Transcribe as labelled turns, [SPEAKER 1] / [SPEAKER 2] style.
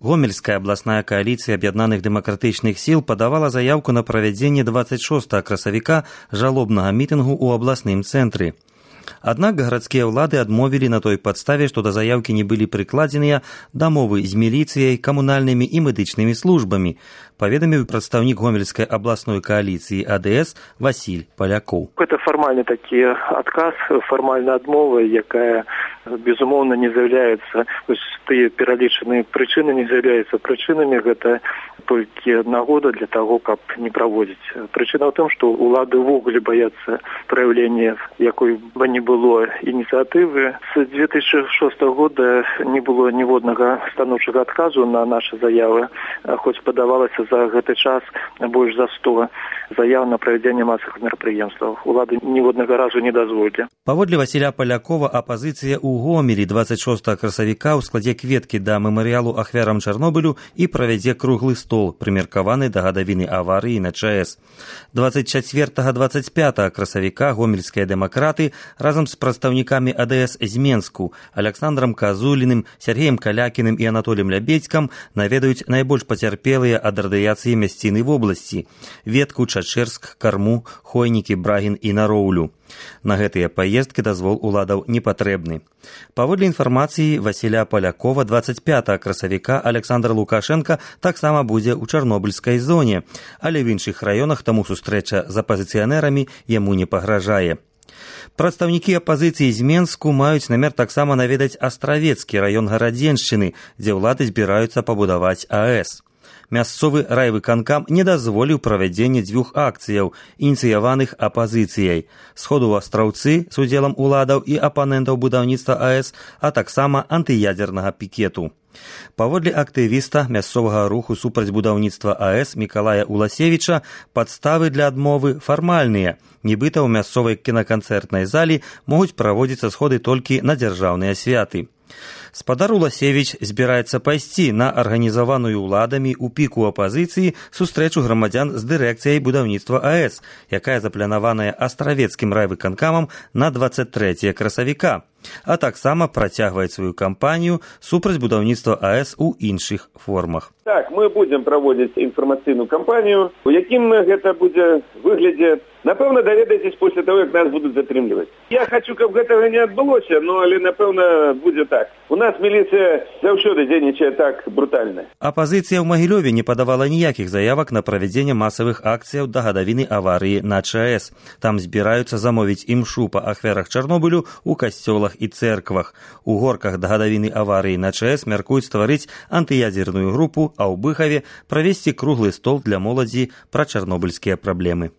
[SPEAKER 1] Гомельская областная коалиция об'яднаных дэмакратычных сіл падавала заявку на правядзенне 26 красавіка жалобнага мітынгу ў абласным цэнтры. Аднак гарадскія ўлады адмовілі на той падставе, што да заяўкі не былі прыкладзеныя дамовы з міліцыяй, камунальнымі і медычнымі службамі, паведаміў прадстаўнік Гомельскай областной коалиции АДС Василь Поляков.
[SPEAKER 2] Это формальный таки отказ, формальная отмова, якая, безумовно, не з'являецца, то есть тыя пералічаныя прычыны не з'являюцца прычынамі, гэта толькі нагода для того, каб не праводзіць. Прычына ў том, што улады ўвогуле баяцца праяўлення якой бы не было ініцыятывы. С 2006 года не было ніводнага станоўчага адказу на нашы заявы, хоць падавалася за гэты час больш за 100 заяў на правядзенне масавых мерапрыемстваў. Улады ніводнага разу не дазволілі.
[SPEAKER 1] Паводле Васіля Полякова, апазіцыя ў Гомелі 26 красавіка ў складзе кветкі да мемарыялу ахвярам Чарнобылю і правядзе круглы стол, прымеркаваны да гадавіны аварыі на ЧАЭС. 24-25 красавіка гомельскія дэмакраты разам з прадстаўнікамі АДС з Менску Александром Казуліным, Сергеем Калякіным і Анатоліем Лябедзькам наведаюць найбольш пацярпелыя ад радыяцыі мясціны в обласці – Ветку, Чачэрск, Карму, Хойнікі, Брагін і Нароўлю. На гэтыя паездкі дазвол уладаў не патрэбны. Паводле інфармацыі Васіля Полякова, 25 красавіка Александр Лукашенко таксама будзе ў Чарнобыльскай зоне, але в іншых раёнах таму сустрэча з апазіцыянэрамі яму не пагражае. Прадстаўнікі апазіцыі з Менску маюць намер таксама наведаць Астравецкі раён Гарадзеншчыны, дзе ўлады збіраюцца пабудаваць АЭС. Мясцовы райвыканкам не дазволіў правядзенне дзвюх акцыяў, ініцыяваных апазіцыяй. Сходу ў Астраўцы з удзелам уладаў і апанентаў будаўніцтва АЭС, а таксама антыядзернага пікету. Паводле актывіста мясцовага руху супраць будаўніцтва АЭС Мікалая Уласевіча, падставы для адмовы фармальныя. Нібыта ў мясцовай кінаканцэртнай залі могуць праводзіцца сходы толькі на дзяржаўныя святы. Спадар Уласевіч збіраецца пайсці на арганізаваную ўладамі ў піку апазіцыі сустрэчу грамадзян з дырэкцыяй будаўніцтва АЭС, якая запланаваная Астравецкім райвыканкамам на 23 красавіка, а таксама працягваць сваю кампанію супраць будаўніцтва АЭС у іншых формах.
[SPEAKER 3] Так, мы будзем праводзіць інфармацыйную кампанію. У якім гэта будзе выглядзе, напэўна, даведаецесь пасля таго, як нас будуць затрымліваць. Я хочу, каб гэтага не адбылося, но але, напэўна, будзе так. У нас міліцыя заўсёды дзейнічае так брутальна.
[SPEAKER 1] Апазіцыя ў Магілёве не падавала ніякіх заявак на правядзенне масавых акцыяў да гадавіны аварыі на ЧАЭС. Там збіраюцца замовіць імшу па ахвярах Чарнобылю ў касцёлах і цэрквах. У горках да гадавіны аварыі на ЧАЭС мяркуюць стварыць антыядзерную групу, а ў Быхаве правесці круглы стол для моладзі пра чарнобыльскія праблемы.